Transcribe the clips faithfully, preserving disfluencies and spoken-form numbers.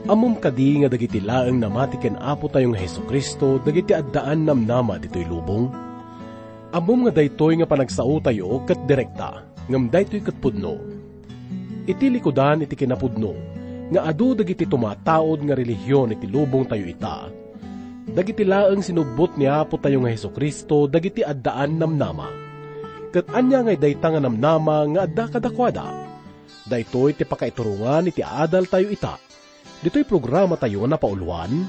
Ammom kadi nga dagiti laeng namati ken Apotayo nga Jesu-Cristo dagiti addaan namnama ditoy lubong? Ammom nga daytoy nga panagsaotayo ket direkta, ngem daytoy ket pudno. Iti likudan iti kinapudno nga adu dagiti tumataud nga relihion iti lubongtayo ita, dagiti laeng sinubbot ni Apotayo nga Jesu-Cristo dagiti addaan namnama. Ket ania ngay dayta nga namnama nga adda kadakuada? Daytoy ti pakaiturongan iti adaltayo ita, ditoy programatayo nga napauloan,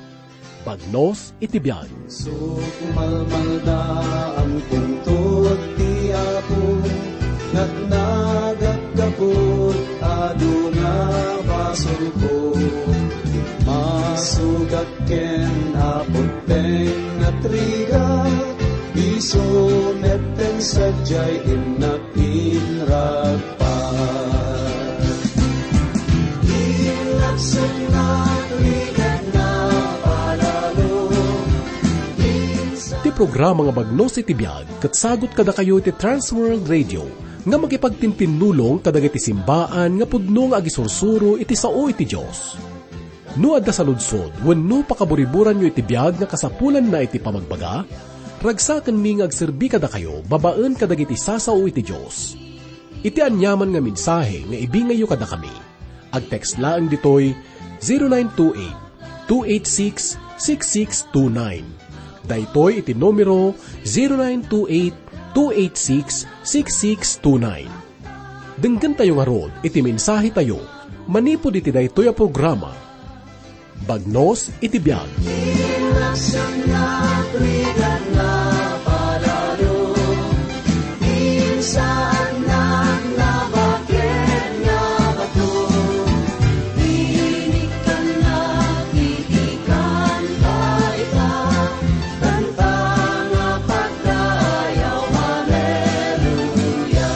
Bagnos iti Biag. Sukumalmalda, angkento ti Apo, natnagak gapu adu nga basolko. Masugak ken Apo ti nagrigat, isu met ti sadiay innak inragpat. Inlapsutnak rigat nga palalo. Ti programa nga Bagnos iti Biag ket sagut kadakayo iti Trans World Radio nga makipagtintinnulong kadagiti simbaan nga pudno nga agisursuro iti sao iti Dios. No adda saludsod wenno pakaburiburanyo iti biag nga kasapulanna iti pamagbaga, ragsakenmi nga agserbi kadakayo babaen kadagiti sasao iti Dios. Iti aniaman nga mensahe nga ibingayyo kadakami, agtext laeng ditoy zero nine two eight, two eight six, six six two nine. Daytoy iti numero zero nine two eight, two eight six, six six two nine. Denggentayo ngarud iti mensahetayo manipud iti daytoy a programa, Bagnos iti Biag. Kanta nga pagdayaw, haleluya.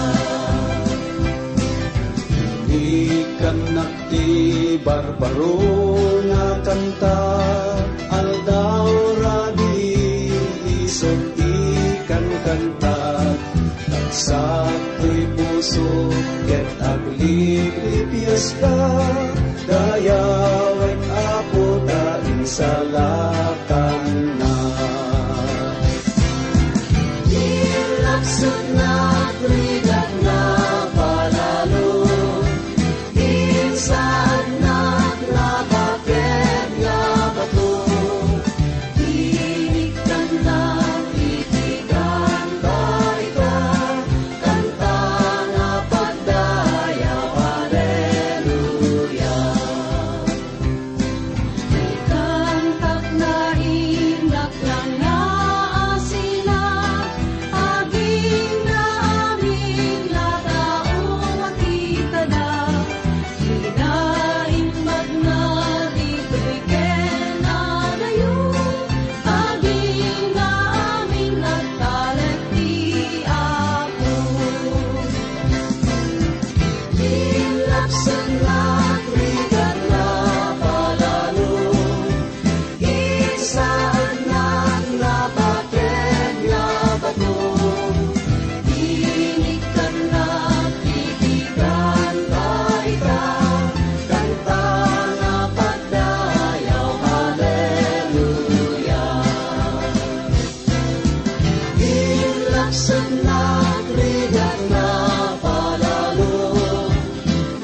Inikkannak ti barbaro nga kanta, aldaw rabii isut' ikankantak. Tagsak toy puso ket agliplipiaska, dayawek Apo ta insalakannak. Inlapsutnak rigat nga palalo, insaannak nga baked nga bato. Inikkannak iti kanta ita, kanta nga pagdayaw, haleluya. Ikantak nga innak nga asinak, agingga amin nga tao makitadak. Kinaimbagna ditoy ken adayo, agingga amin agtalek ti Apo. Inlapsutnak rigat nga palalo, insaannak nga baked nga bato. Inikkannak iti kanta ita, kanta nga pagdayaw, haleluya. Inlapsutnak rigat nga palalo,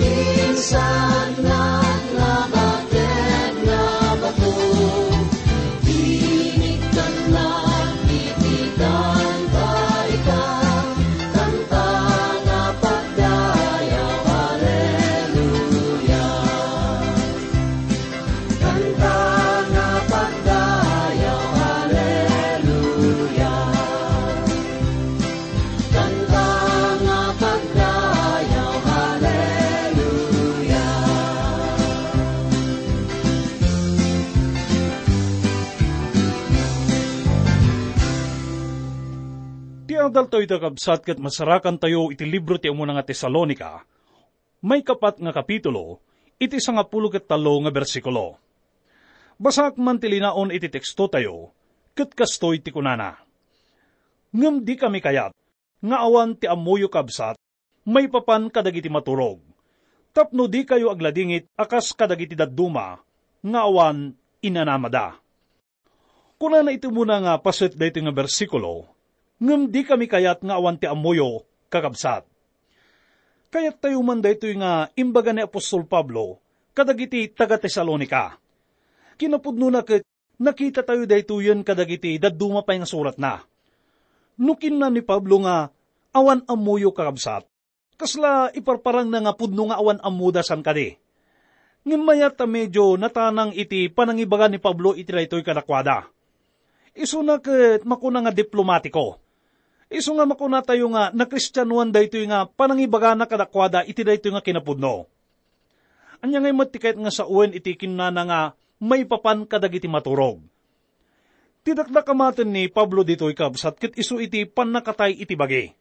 insaannak nga baked nga bato. Inikkannak iti kanta ita, kanta nga pagdayaw, haleluya. Kanta nga pagdayaw, haleluya. Kanta nga pagdayaw, haleluya. Ti adaltayo ita, kabsat, ket masarakantayo iti libro ti umuna nga Tesalonica, maikapat nga kapitulo, iti sangapulo ket tallo nga bersikulo. Basaek man ti linaon iti tekstotayo, ket kastoy ti kunana, "Ngem dikami kayat nga awan ti ammoyo, kabsat, maipapan kadagiti maturog, tapno dikayo agladingit a kas kadagiti dadduma, nga awan inanamada. Kunana iti umuna nga paset daytoy nga bersikulo, ngem dikami kayat nga awan ti ammoyo, kakabsat. Kayattayo man daytoy nga imbaga ni apostol Pablo kadagiti taga-Tesalonica. Kinapudnona ket nakitatayo daytoyen kadagiti dadduma pay nga suratna. No kinuna ni Pablo nga, "Awan ammoyo, kakabsat," kasla iparparangna nga pudno nga awan ammoda san kadi. Ngem mayat ta medio natanang iti panangibaga ni Pablo iti daytoy kadakuada. Isuna ket makuna nga diplomatiko. Isu nga makunatayo nga nakristianoan daytoy nga panangibagana kadakuada iti daytoy nga kinapudno. Ania ngay met ti kayat nga sawen iti kinunana nga maipapan kadagiti maturog? Ti dakdakamaten ni Pablo ditoy, kabsat, ket isu iti pannakatay iti bagi.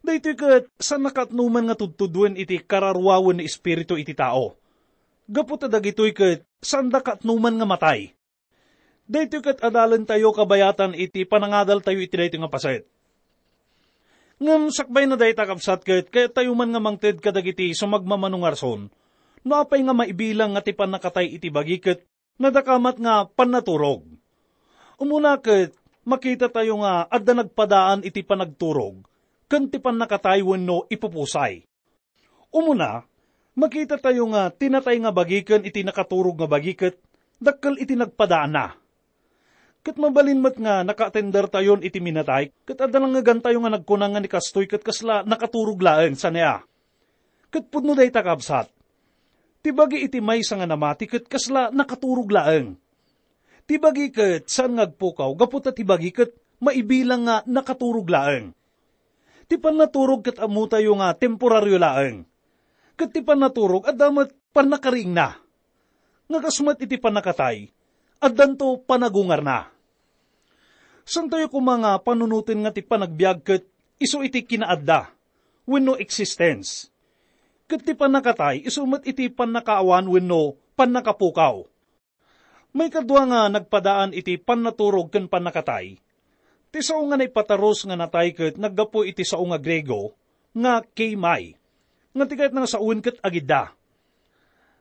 Daytoy ket saan nakatnoman nga tudtuduen iti kararuawen ni Espiritu iti tao. Gapu ta dagitoy ket saanda katnoman nga matay. Daytoy ket adalentayo kabayatan iti panangadaltayo iti daytoy nga paset. Ngem sakbayna dayta, kabsat, ket kayattayo man nga mangted kadagiti sumagmamano nga rason no apay nga maibilang nga ti pannakatay iti bagi ket nadakamat nga pannaturog. Umuna ket makitatayo nga adda nagpadaan iti panagturog ken ti pannakatay wenno ipupusay. Umuna, makitatayo nga ti natay nga bagi ken iti nakaturog nga bagi ket dakkel iti nagpadaanna. Ket mabalin met nga nakaatendertayon iti minatay, ket adda langegantayo nga nagkuna nga ni kastoy ket kasla nakaturog laeng, saan aya? Ket pudno dayta, kabsat. Ti bagi iti maysa nga namati ket kasla nakaturog laeng. Ti bagi ket saan nga agpukaw gapu ta ti bagi ket maibilang nga nakaturog laeng. Ti pannaturog ket ammotayo nga temporario laeng. Ket ti pannaturog adda met pannakariingna. Nga kas met iti pannakatay, addanto panagungarna. Saantayo koma nga panunoten nga ti panagbiag ket isu iti kinaadda wenno existence. Ket ti pannakatay isu met iti pannakaawan wenno pannakapukaw. Maikadua nga nagpadaan iti pannaturog ken pannakatay, ti sao nga naipatarus nga natay ket naggapu iti sao nga Griego nga keimai, nga ti kayatna nga sawen ket agidda.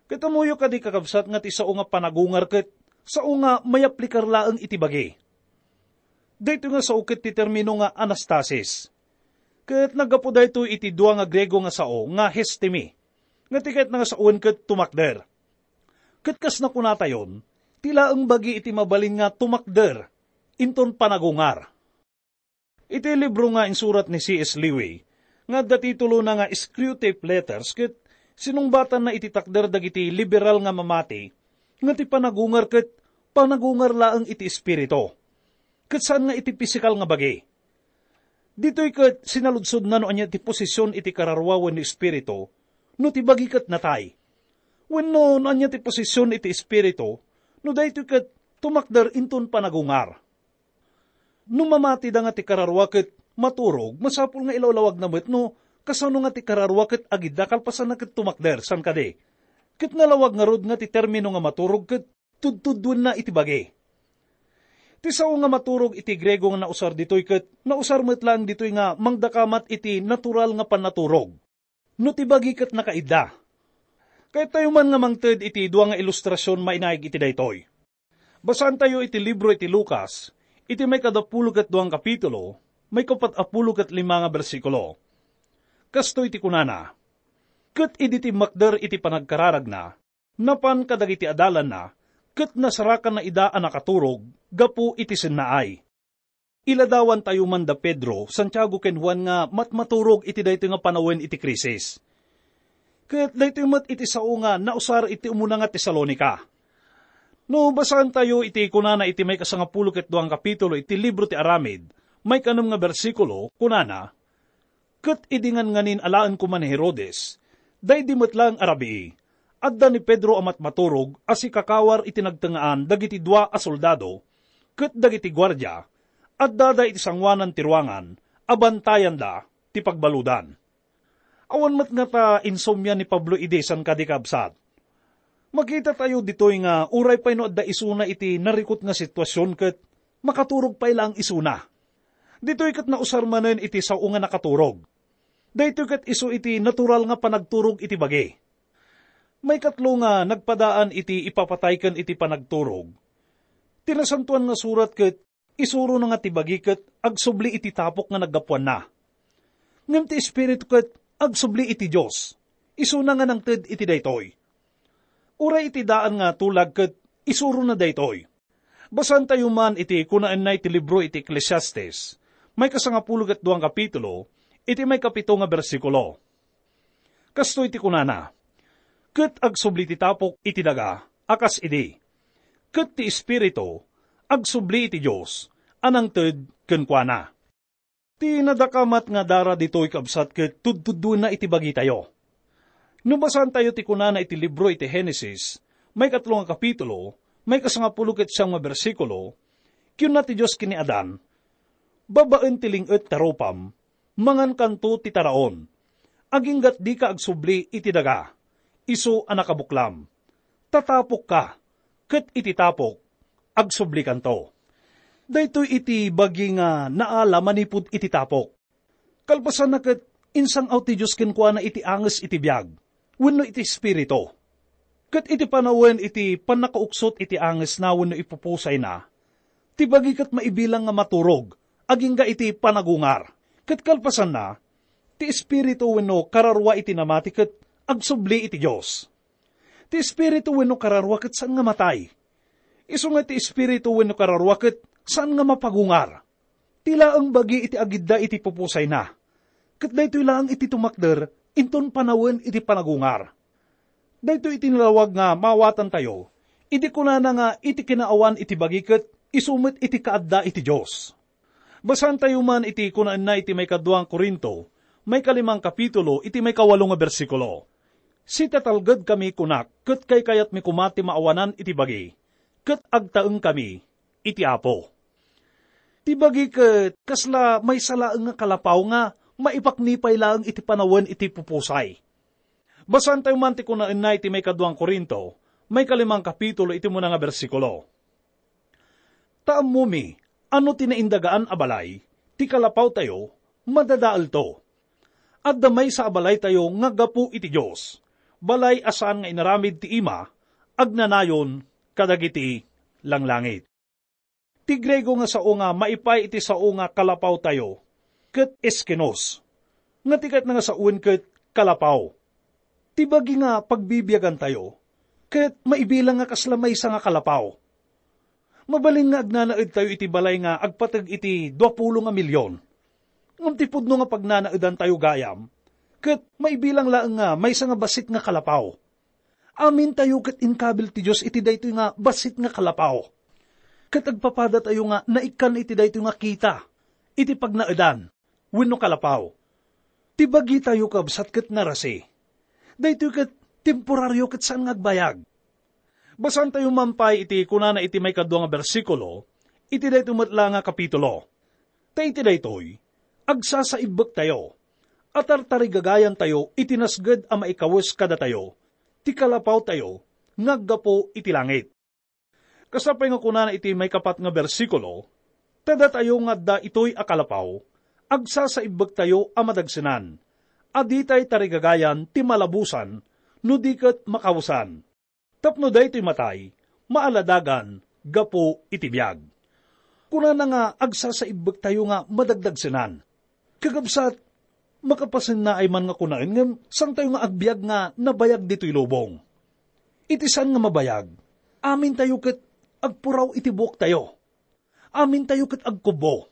Ket ammoyo kadi, kakabsat, nga ti sao nga panagungar ket sao nga mayaplikar laeng iti bagi. Daytoy nga sao ket ti termino nga anastasis. Ket naggapu daytoy iti dua nga Griego nga sao nga histemi, nga ti kayatna nga sawen ket tumakder. Ket kas nakunatayon, ti laeng bagi iti mabalin nga tumakder inton panagungar. Iti libro nga insurat ni C S Lewis, nga adda titulona nga Screwtape Letters, ket sinungbatanna iti takder dagiti liberal nga mamati nga ti panagungar ket panagungar laeng iti espiritu, ket saan nga iti pisikal nga bagi. Ditoy ket sinaludsodna no ania ti posisyon iti kararuawan ni espiritu no ti bagi ket natay, wenno no ania ti posisyon iti espiritu no daytoy ket tumakder inton panagungar. No mamati da nga ti kararua ket maturog, masapul nga ilawlawagna met no kasano nga ti kararua ket agidda kalpasanna ket tumakder, saan kadi? Ket nalawag ngarud nga ti termino nga maturog ket tudtudduenna iti bagi. Ti sao nga maturog iti Griego nga nausar ditoy ket nausar met laeng ditoy nga mangdakamat iti natural nga pannaturog, no ti bagi ket nakaidda. Kayat tayo man nga mangted iti dua nga ilustrasion mainaig iti daytoy. Basaantayo iti libro iti Lucas, iti maikadapulo ket dua nga kapitulo, maikapat a pulo ket lima nga bersikulo. Kastoy ti kunana, "Ket idi timmakder iti panagkararagna, napan kadagiti adalanna, ket nasarakanna ida a nakaturog gapu iti sennaay." Iladawantayo man da Pedro, Santiago, ken Juan nga matmaturog iti daytoy nga panawen iti krisis. Ket daytoy met iti sao nga nausar iti umuna nga Tesalonica. No basaantayo iti kunana iti maikasangapulo ket dua nga kapitulo iti libro ti Aramid, maikanem nga bersikulo, kunana, "Ket idi nganganin alaen koma ni Herodes, daydi met laeng a rabii, adda ni Pedro a matmaturog a sikakawar iti nagtengngaan dagiti dua a soldado ket dagiti guardia, addada iti sangoanan ti ruangan a bantayanda ti pagbaludan." Awan met ngata insomnia ni Pablo idi, saan kadi, kabsat? Makitatayo ditoy nga uray pay no adda isuna iti narikut nga situasion ket makaturog pay laeng isuna. Ditoy ket nausar manen iti sao nga nakaturog. Daytoy ket isu iti natural nga panagturog iti bagi. Maikatlo nga nagpadaan iti ipapatay ken iti panagturog, ti Nasantoan nga Surat ket isurona nga ti bagi ket agsubli iti tapok nga naggapuanna. Ngem ti Espiritu ket agsubli iti Dios, isuna nga nangted iti daytoy. Uray iti daan nga tulag ket isurona daytoy. Basaentayo man iti kunaenna iti libro iti Eclesiastes, maikasangapulo ket duang kapitulo, iti maikapito nga bersikulo. Kastoy ti kunana, "Ket agsubli ti tapok iti daga a kas idi, ket ti Espiritu agsubli iti Dios a nangted kenkuana." Ti nadakamat nga dara ditoy, kabsat, ket tudtudduenna iti bagitayo. No basaentayo ti kunana iti libro iti Genesis, maikatlo nga kapitulo, maikasangapulo ket siam nga bersikulo, kinuna ti Dios ken ni Adan, "Babaen ti ling-et ta rupam, mangankanto ti taraon, aginggat dika agsubli iti daga, isu a nakabuklam. Tatapokka, ket iti tapok, agsublikanto." Daytoy iti bagi nga naala manipud iti tapok. Kalpasanna ket insang-aw ti Dios kenkuana iti anges iti biag wenno iti espiritu. Ket iti panawen iti pannakauksot iti angesna wenno ipupusayna, ti bagi ket maibilang nga maturog agingga iti panagungar. Ket kalpasanna, ti espiritu wenno kararua iti namati ket agsubli iti Dios. Ti espiritu wenno kararua ket saan nga matay. Isu nga ti espiritu wenno kararua ket saan nga mapagungar. Ti laeng bagi iti agidda iti pupusayna, ket daytoy laeng iti tumakder inton panawen iti panagungar. Daytoy iti nalawag nga maawatantayo idi kunana nga iti kinaawan iti bagi ket isu met iti kaadda iti Dios. Basaentayo man iti kunaenna iti maikadua nga Corinto, maikalimang kapitulo, iti maikawalo nga bersikulo, "Sitatalgedkami kunak ket kaykayatmi koma ti maawanan iti bagi, ket agtaengkami iti Apo." Ti bagi ket kasla maysa laeng nga kalapaw nga maipaknipay laeng iti panawen iti pupusay. Basaentayo man ti kunaenna iti maikadua nga Corinto, maikalimang kapitulo, iti umuna nga bersikulo, "Ta ammomi a no ti naindagaan a balay ti kalapawtayo, madadaelto. Adda maysa a balaytayo nga gapu iti Dios, balay a saan nga inaramid ti ima, agnanayon kadagiti langlangit." Ti Griego nga sao nga maipay iti sao nga kalapawtayo ket eskinos, nga ti kayatna nga sawen ket kalapaw. Ti bagi nga pagbibiagantayo ket maibilang nga kasla maysa nga kalapaw. Mabalin nga agnanaedtayo iti balay nga agpateg iti duapulo nga milion. Ngem ti pudno nga pagnanaedantayo gayam ket maibilang laeng nga maysa nga bassit nga kalapaw. Amintayo ket inkabil ti Dios iti daytoy nga bassit nga kalapaw. Ket agpapadatayo nga naikkan iti daytoy nga kita iti pagnaedan wenno kalapaw. Ti bagitayo, kabsat, ket narasi. Daytoy ket temporario ket saan nga agbayag. Basaentayo man pay iti kunana iti maikadua nga bersikulo iti daytoy met la nga kapitulo. Ta iti daytoy, agsasaibbektayo, a tartarigagayantayo iti nasged a maikawes kadatayo ti kalapawtayo nga aggapu iti langit. Kasta pay nga kunana iti maikapat nga bersikulo, ta datayo nga adda itoy a kalapaw, agsasaibbektayo a madagsenan, a ditay tarigagayan ti malabusan no di ket makawesan. Tapno daytoy matay, maaladagan gapu iti biag. Kunana nga agsasaibbektayo nga madagdagsenan. Kakabsat, makapasennaay man nga kunaen ngem saantayo nga agbiag nga nabayag ditoy lubong. Iti saan nga mabayag, amintayo ket agpuraw iti buoktayo. Amintayo ket agkubbo.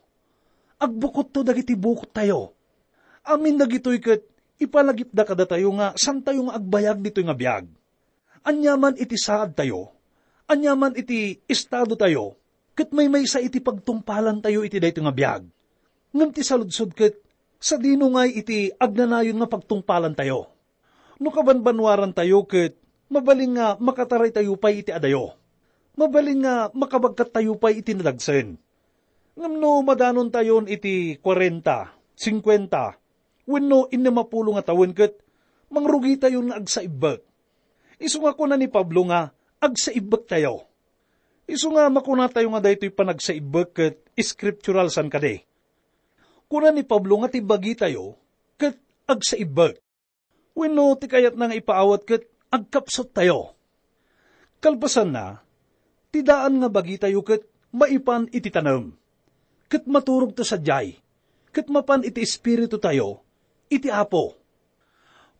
Agbukotto dagiti bukottayo. Amin dagitoy ket ipalagipda kadatayo nga saantayo nga agbayag ditoy nga biag. Aniaman iti saadtayo, aniaman iti estadotayo, ket maymaysa iti pagtungpalantayo iti daytoy nga biag. Ngem ti saludsod ket, sadino ngay iti agnanayon nga pagtungpalantayo? No kabanbanwarantayo ket, mabalin nga makataraytayo pay iti adayo. Mabalin nga makabagkattayo pay iti nadagsen. Ngem no madanontayon iti kuarenta, singkuenta, wenno innem a pulo nga tawen ket mangrugitayon nga agsaibbek. Isu nga kuna ni Pablo nga agsaibbektayo. Isu nga makunatayo nga daytoy panagsaibbek ket scriptural, saan kadi? Kuna ni Pablo nga ti bagitayo ket agsaibbek. Wenno ti kayatna nga ipaawat ket agkapsuttayo. Kalpasanna, ti daan nga bagitayo ket maipan iti tanem, ket maturogto sadiay, ket mapan iti espiritutayo iti Apo.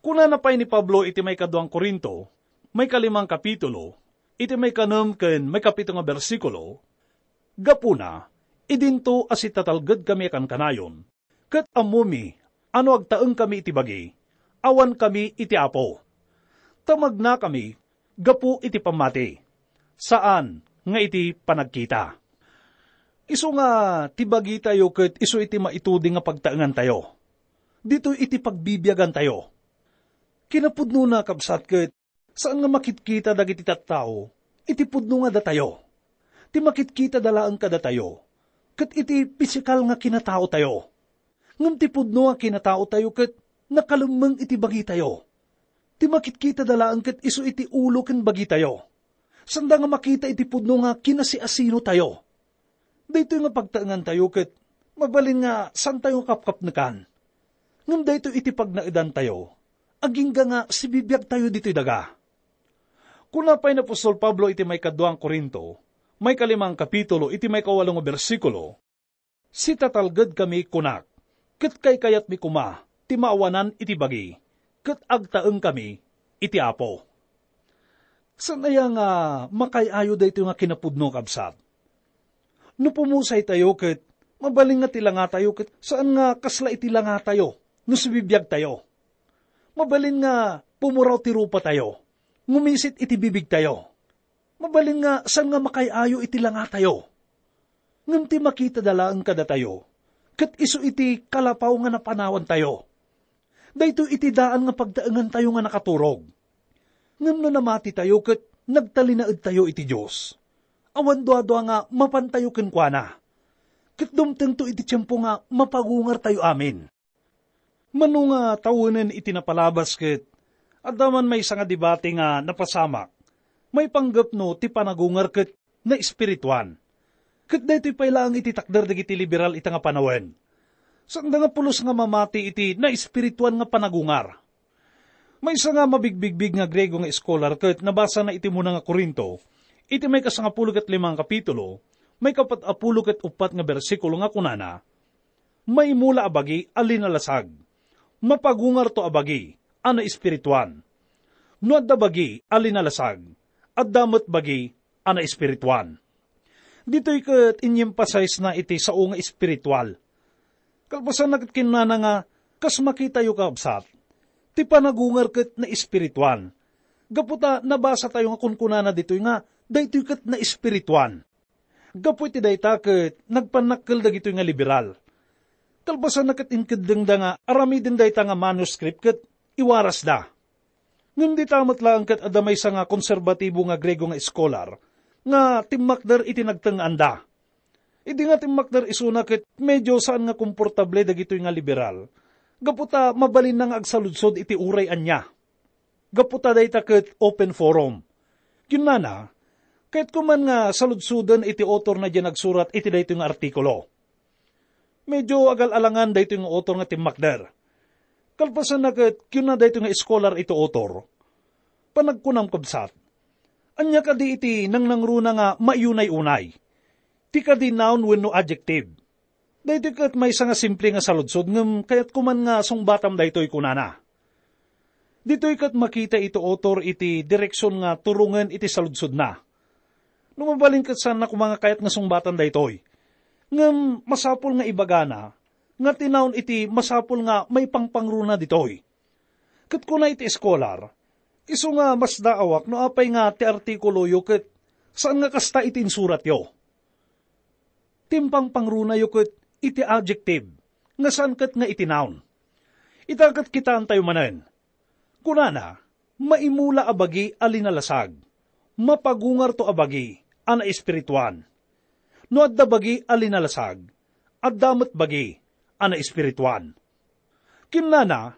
Kunana pay ni Pablo iti maikaduang Corinto, maikalimang kapitulo, iti maikanem ken maikapito nga bersikulo, "Gapuna, idinto a sitatalgedkami a kankanayon, ket ammomi a no agtaengkami iti bagi, awankami iti Apo. Ta magnakami gapu iti pammati, saan nga iti panagkita." Isu nga ti bagitayo ket isu iti maitudi nga pagtaengantayo. Ditoy iti pagbibiagantayo. Kinapudnona, kabsat, ket saan nga makitkita dagiti tattao iti pudno nga datayo. Ti makitkitada laeng kadatayo ket iti pisikal nga kinataotayo. Ngem ti pudno a kinataotayo ket nakalemmeng iti bagitayo. Ti makitkitada laeng ket isu iti ulo ken bagitayo. Sanda nga makita iti pudno nga kinasiasinotayo. Daytoy nga pagtaengantayo ket mabalin nga saantayo nga kapkapnekan. Ngem daytoy iti pagnaedantayo, agingga nga sibibiagtayo ditoy daga. Kuna pay ni apostol Pablo iti maikaduang Corinto, maikalimang kapitulo, iti maikawalo nga bersikulo, "Sitatalgedkami, kunak, ket kaykayatmi koma ti maawanan iti bagi, ket agtaengkami iti Apo." Saan aya nga makaay-ayo daytoy nga kinapudno, kabsat? No pumusaytayo ket mabalin nga ti langatayo ket saan nga kasla iti langatayo no sibibiagtayo. Mabalin nga pumuraw ti rupatayo, ngumisit iti bibigtayo. Mabalin nga saan nga makaay-ayo iti langatayo. Ngem ti makitada laeng kadatayo, ket isu iti kalapaw nga napanawantayo. Daytoy iti daan nga pagtaengantayo nga nakaturog. Ngem no namatitayo ket nagtalinaedtayo iti Dios, awan duadua nga mapantayo kenkuana. Ket dumtengto iti tiempo nga mapagungartayo amin. Mano nga tawenen iti napalabas ket adda man maysa nga debate nga napasamak, maipanggep no ti panagungar ket naespirituan. Ket daytoy pay laeng iti takder dagiti liberal ita nga panawen. Saanda nga pulos nga mamati iti naespirituan nga panagungar. Maysa nga mabigbigbig nga Griego nga eskolar ket nabasana iti Muna nga Corinto, iti maikasangapulo ket lima nga kapitulo, maikapat-apulo ket uppat nga bersikulo nga kunana, "Maimula a bagi a linalasag, mapagungarto a bagi a naespirituan. No adda bagi a linalasag, adda met bagi a naespirituan." Ditoy ket inyemphasize na iti sao nga espiritual. Kalpasanna ket kinunana nga, kas makitayo, kabsat, ti panagungar ket naespirituan. Gapu ta nabasatayo nga kunkunana ditoy nga daytoy ket naespirituan. Gapu iti dayta ket nagpannakkel dagitoy nga liberal. Kalpasanna ket inkeddengda nga aramiden dayta nga manuscript ket iwarasda. Ngem dita met laeng ket adda maysa nga konserbatibo nga Griego nga eskolar nga timmakder iti nagtengngaanda. Idi nga timmakder isuna ket medio saan nga komportable dagitoy nga liberal, gapu ta mabalinna nga agsaludsod iti uray ania. Gapu ta dayta ket open forum. Kinnana, "Kayatko man nga saludsoden iti author na diay nagsurat iti daytoy nga artikulo." Medio agal-alangan daytoy nga author nga timmakder. Kalpasanna ket kinuna daytoy nga eskolar iti author, "Panagkunam, kabsat, ania kadi iti nangnangruna nga maiyunay-unay? Ti kadi noun wenno adjective?" Daytoy ket maysa nga simple nga saludsod ngem kayatko man nga sungbatam daytoy, kunana. Ditoy ket makita iti author iti direksion nga turongen iti saludsodna. No mabalin ket saanna koma nga kayat nga sungbatan daytoy. Ngem masapul nga ibagana nga ti noun iti masapul nga maipangpangruna ditoy. Ket kuna iti eskolar, "Isu nga masdaawak no apay nga ti artikuloyo ket saan nga kasta iti insuratyo. Ti impangpangrunayo ket iti adjective, nga saan ket nga iti noun." Ita ket kitaentayo manen. Kunana, "Maimula a bagi a linalasag, mapagungarto a bagi a naespirituan. No adda bagi a linalasag, adda met bagi a naespirituan." Kinnana,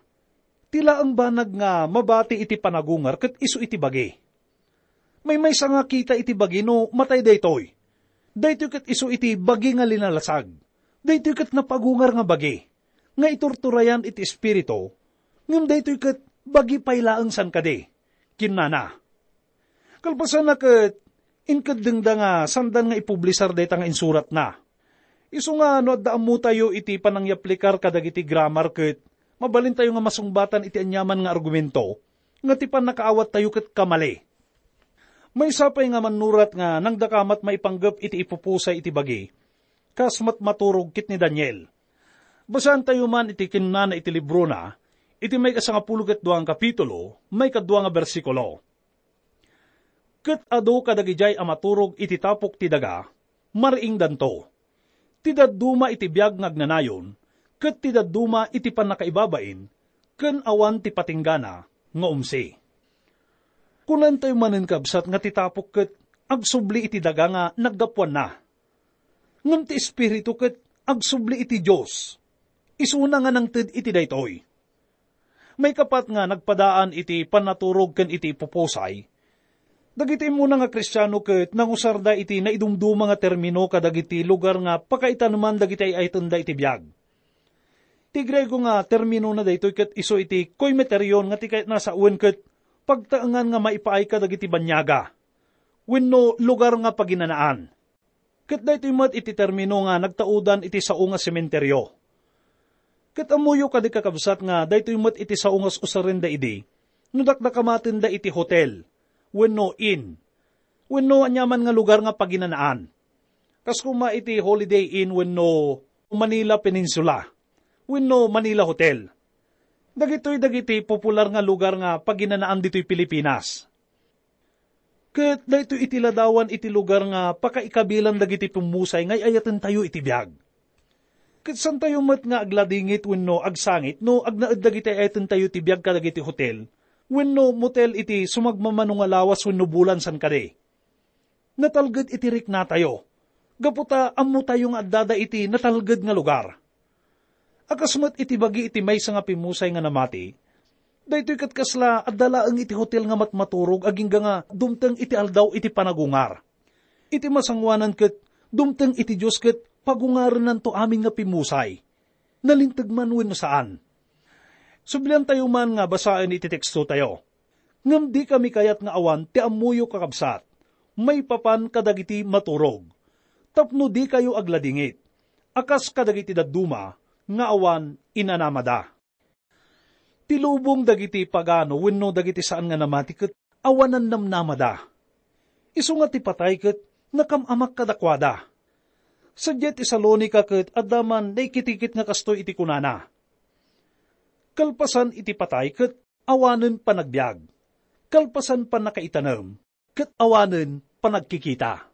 ti laeng banag nga mabati iti panagungar ket isu iti bagi. Maymaysa nga kita iti bagi no matay daytoy. Daytoy ket isu iti bagi nga linalasag. Daytoy ket napagungar nga bagi nga iturturayan iti espiritu, ngem daytoy ket bagi pay laeng saan kadi. kinunana. Kalpasanna ket, inkeddengda nga sandan nga ipublisar dayta nga insuratna. Isu nga no adda ammotayo iti panangyaplikar kadagiti grammar ket mabalintayo nga masungbatan iti aniaman nga argumento nga ti pannakaawattayo ket kamali. Maysa pay nga mannurat nga nangdakamat maipanggep iti ipupusay iti bagi, kas met maturog ket ni Daniel. Basaantayo man iti kinunana iti librona, iti maikasangapulo ket dua nga kapitulo, maikadua nga bersikulo. Ket adu kadagidiay a maturog iti tapok ti daga, mariingdanto. Ti dadduma iti biag nga agnanayon, ket ti dadduma iti pannakaibabain, ken awan ti patinggana nga umsi. Kunaentayo manen, kabsat, nga ti tapok ket agsubli iti daga nga naggapuanna. Ngem ti Espiritu ket agsubli iti Dios. Isuna nga nangted iti daytoy. Maikapat nga nagpadaan iti pannaturog ken iti ipupusay, dagiti immuna nga Kristiano ket nangusarda iti naidumduma nga termino kadagiti lugar nga pakaitaneman dagiti ay-ayatenda iti biag. Ti Griego nga terminona daytoy ket isu iti koimeterion nga ti kayatna a sawen ket pagtaengan nga maipaay kadagiti baniaga wenno lugar nga paginanaan. Ket daytoy met iti termino nga nagtaudan iti sao nga sementerio. Ket ammoyo kadi, kakabsat, nga daytoy met iti sao nga us-usarenda idi no dakdakamatenda iti hotel wenno inn wenno aniaman nga lugar nga paginanaan, kas koma iti Holiday Inn wenno Manila Peninsula wenno Manila Hotel. Dagitoy dagiti popular nga lugar nga paginanaan ditoy Pilipinas. Ket daytoy iti ladawan iti lugar nga pakaikabilan dagiti pimmusay nga ay-ayatentayo iti biag. Ket saantayo met nga agladingit wenno agsangit no agnaed dagiti ay-ayatentayo iti biag kadagiti hotel wenno motel iti sumagmamano nga lawas wenno bulan saan kadi. Natalged iti riknatayo, gapu ta ammotayo nga addada iti natalged nga lugar. A kas met iti bagi iti maysa nga pimmusay nga namati, daytoy ket kasla adda laeng iti hotel nga matmaturog agingga nga dumteng iti aldaw iti panagungar. Iti masangoanan ket dumteng iti Dios ket pagungarennanto amin nga pimmusay, nalinteg man wenno saan. Subliantayo man nga basaen iti tekstotayo. Ngem dikami kayat nga awan ti ammoyo, kakabsat, maipapan kadagiti maturog, tapno dikayo agladingit, a kas kadagiti dadduma nga awan inanamada. Ti lubong dagiti pagano wenno dagiti saan nga namati ket awanan namnamada. Isu nga ti patay ket nakam-amak kadakuada. Sadiay Tesalonica ket adda man naikitikit nga kastoy iti kunana, "Kalpasan iti patay ket awanen panagbiag. Kalpasan pannakaitanem, ket awanen panagkikita."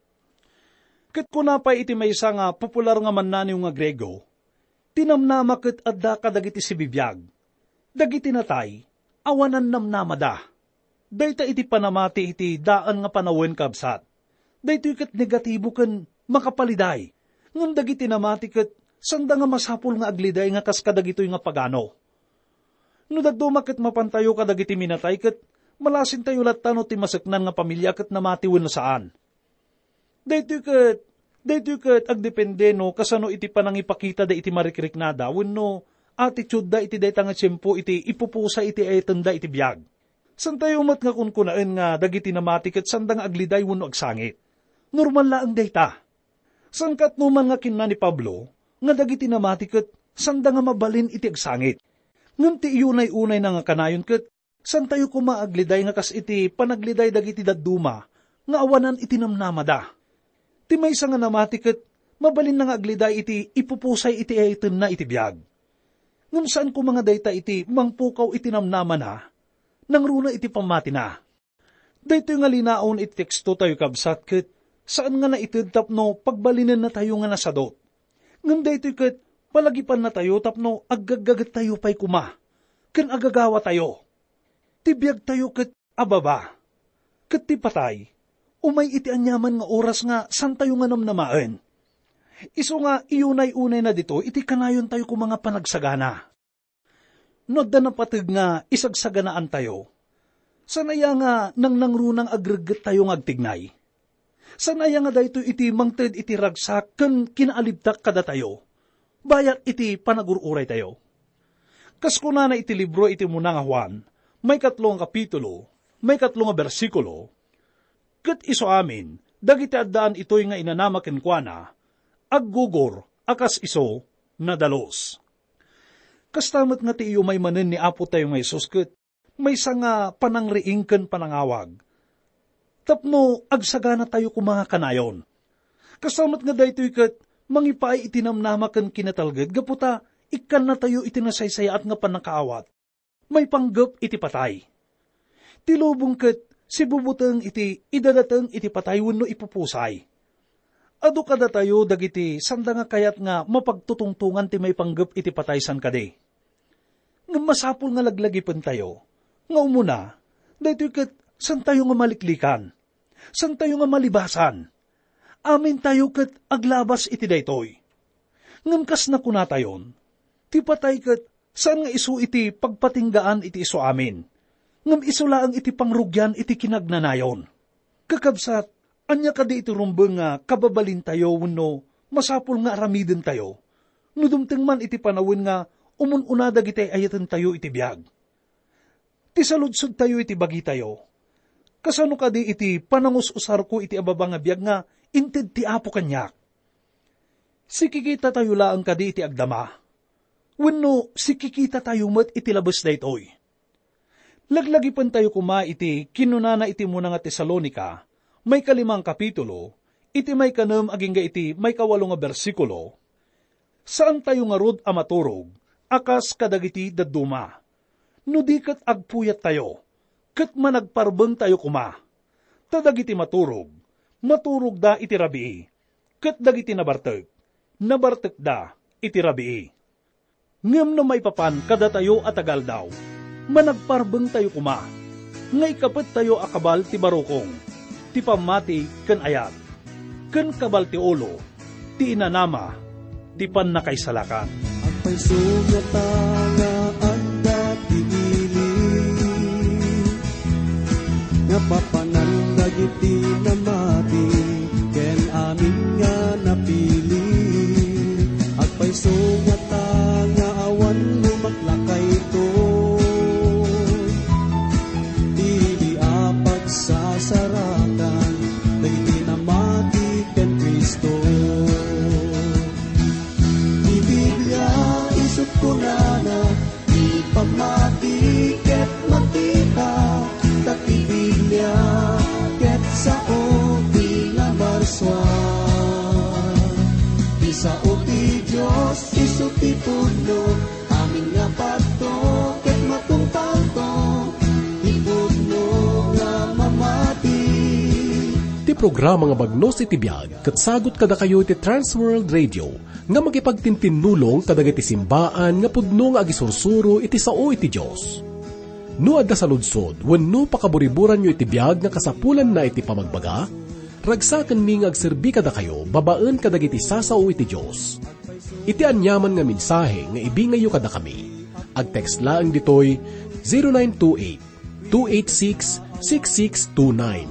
Ket kuna pay iti maysa nga popular nga mannaniw nga Griego, "Ti namnama ket adda kadagiti sibibiag. Dagiti natay, awanan namnamada." Dayta iti panamati iti daan nga panawen, kabsat. Daytoy ket negatibo ken makapaliday. Ngem dagiti namati ket sanda nga masapul nga agliday nga kas kadagitoy nga pagano. No dadduma ket mapantayo kadagiti minatay ket malasintayo latta no ti maseknan nga pamilia ket namati wenno saan. Daytoy ket, daytoy ket agdepende no kasano iti panangipakitada iti marikriknada wenno attitude-da iti dayta nga tiempo iti ipupusay iti ayatenda iti biag. Santayo met nga kunkunaen nga dagiti namati ket sanda nga agliday wenno agsangit. Normal laeng dayta. Saan ket no man nga kinuna ni Pablo nga dagiti namati ket sanda nga mabalin iti agsangit. Ngem ti iyunay-unayna nga kanayon ket santayo koma agliday nga kas iti panagliday dagiti dadduma nga awanan iti namnamada. Ti maysa nga namati ket mabalinna nga agliday iti ipupusay iti ayatenna iti biag. Ngem saan koma nga dayta iti mangpukaw iti namnamana, nangruna iti pammatina. Daytoy nga linaon iti tekstotayo, kabsat, ket saan nga naited tapno pagbalinennatayo nga nasadut. Ngem daytoy ket palagipannatayo tapno aggaggagettayo pay koma ken agagawatayo. Ti biagtayo ket ababa, ket ti patay, umay iti aniaman nga oras nga santayo nga namnamaen. Isu nga iyunay-unayna ditoy iti kanayontayo koma nga panagsagana. No adda napateg nga isagsaganaantayo, saan aya nga nangnangruna nga agreggettayo nga agtignay? Saan aya nga daytoy iti mangted iti ragsak ken kinaalibtak kadatayo, bayat iti panagur-uraytayo? Kas kunana iti libro iti umuna nga Juan, maikatlo nga kapitulo, maikatlo nga bersikulo, ket isu amin, dagiti addaan itoy nga inanama kenkuana, aggugor a kas isu, nadalus. Kasta met nga ti iyumay manen ni Apo tayo nga Jesus ket maysa nga panangriing ken panangawag. Tapno agsaganatayo koma nga kanayon. Kasta met nga daytoy ket mangipaay iti namnama ken kinatalged gapu ta ikkannatayo iti nasaysayaat nga pannakaawat. Maipanggep iti patay. Ti lubong ket sibubuteng iti idadateng iti patay wenno ipupusay. Adu kadatayo dagiti sanda nga kayat nga mapagtutungtongan ti maipanggep iti patay san kadi. Ngem masapul nga laglagipentayo nga umuna, daytoy ket santayo nga maliklikan, santayo nga malibasan. Amintayo ket aglabas iti daytoy. Ngem kas nakunatayon, ti patay ket saan nga isu iti pagpatinggaan iti isu amin, ngem isu laeng iti pangrugian iti kinagnanayon. Kakabsat, ania kadi iti rumbeng nga kababalintayo wenno masapul nga aramidentayo no dumteng man iti panawen nga umun-una dagiti ay-ayatentayo iti biag? Ti saludsodtayo iti bagitayo, kasano kadi iti panangus-usarko iti ababa nga biag nga inted ti Apo kaniak? Sikikitatayo laeng kadi iti agdama? Wenno sikikitatayo met iti labes daytoy? Laglagipentayo koma iti kinunana iti umuna nga Tesalonica, maikalimang kapitulo, iti maikanem agingga iti maikawalo nga bersikulo, saantayo ngarud a maturog a kas kadagiti dadduma. No di ket agpuyattayo, ket managparbengtayo koma. Ta dagiti maturog, maturogda iti rabii, ket dagiti nabartek, nabartekda iti rabii. Ngem no maipapan kadatayo a taga-aldaw, managparbengtayo koma, nga ikapettayo a kabal ti barukong, ti pammati ken ayat, ken kabal ti ulo, ti inanama, ti pannakaisalakan. Agpayso ngata nga adda ti ili, nga papanan dagiti namati, ken amin nga napili. Agpayso ngata nga awan lumaklakayto, ili a pagsasaratan dagiti namati ken Cristo. Ti Biblia isu kunana, ti pammati ket makita, ta ti Biblia ket sao ti namarsua. Ti sao ti Dios isu ti pudno, amin nga padto ket matungpalto, ti pudno nga mamati. Ti programa nga Bagnos iti Biag ket sagut kadakayo iti Trans World Radio nga makipagtintinnulong kadagiti simbaan nga pudno nga agisursuro iti sao iti Dios. No adda saludsod wenno pakaburiburanyo iti biag nga kasapulanna iti pamagbaga, ragsakenmi nga agserbi kadakayo babaen kadagiti sasao iti Dios. Iti aniaman nga mensahe nga ibingayyo kadakami, agtext laeng ditoy zero nine two eight, two eight six, six six two nine.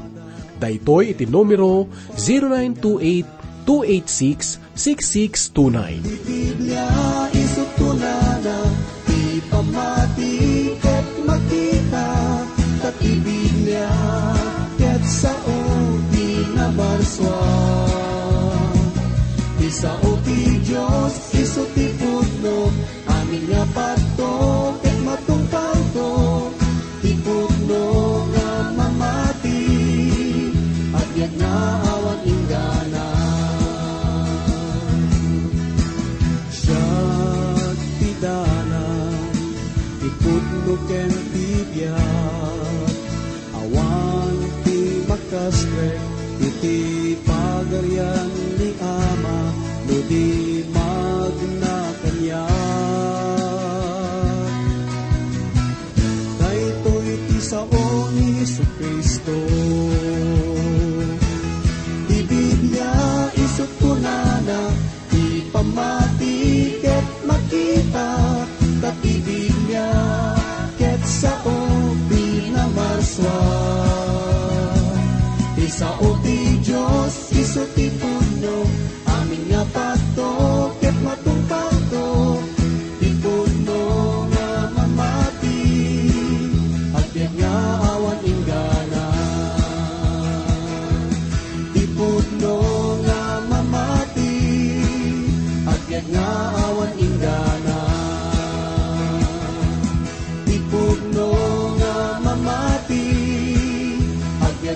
Daytoy iti numero, zero nine two eight, two eight six, six six two nine. Ti Biblia isu kunana, ti pammati ket makita, ta ti Biblia ket sao ti namarsua. Ti sao ti Dios isu ti pudno, amin nga padto ket matungpalto, ti pudno nga mamati, a biag nga awan inggana. Siak ti dalan, ti pudno ken ti biag. Awan ti makasrek iti Pagarian ni Ama no di magna kaniak. Daytoy ti sao ni Jesu-Cristo. Ti Biblia isu kunana, ti pammati ket makita, ta ti Biblia ket sao ti namarsua. Ti sao ti Dios isu ti pudno, amin nga padto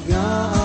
nga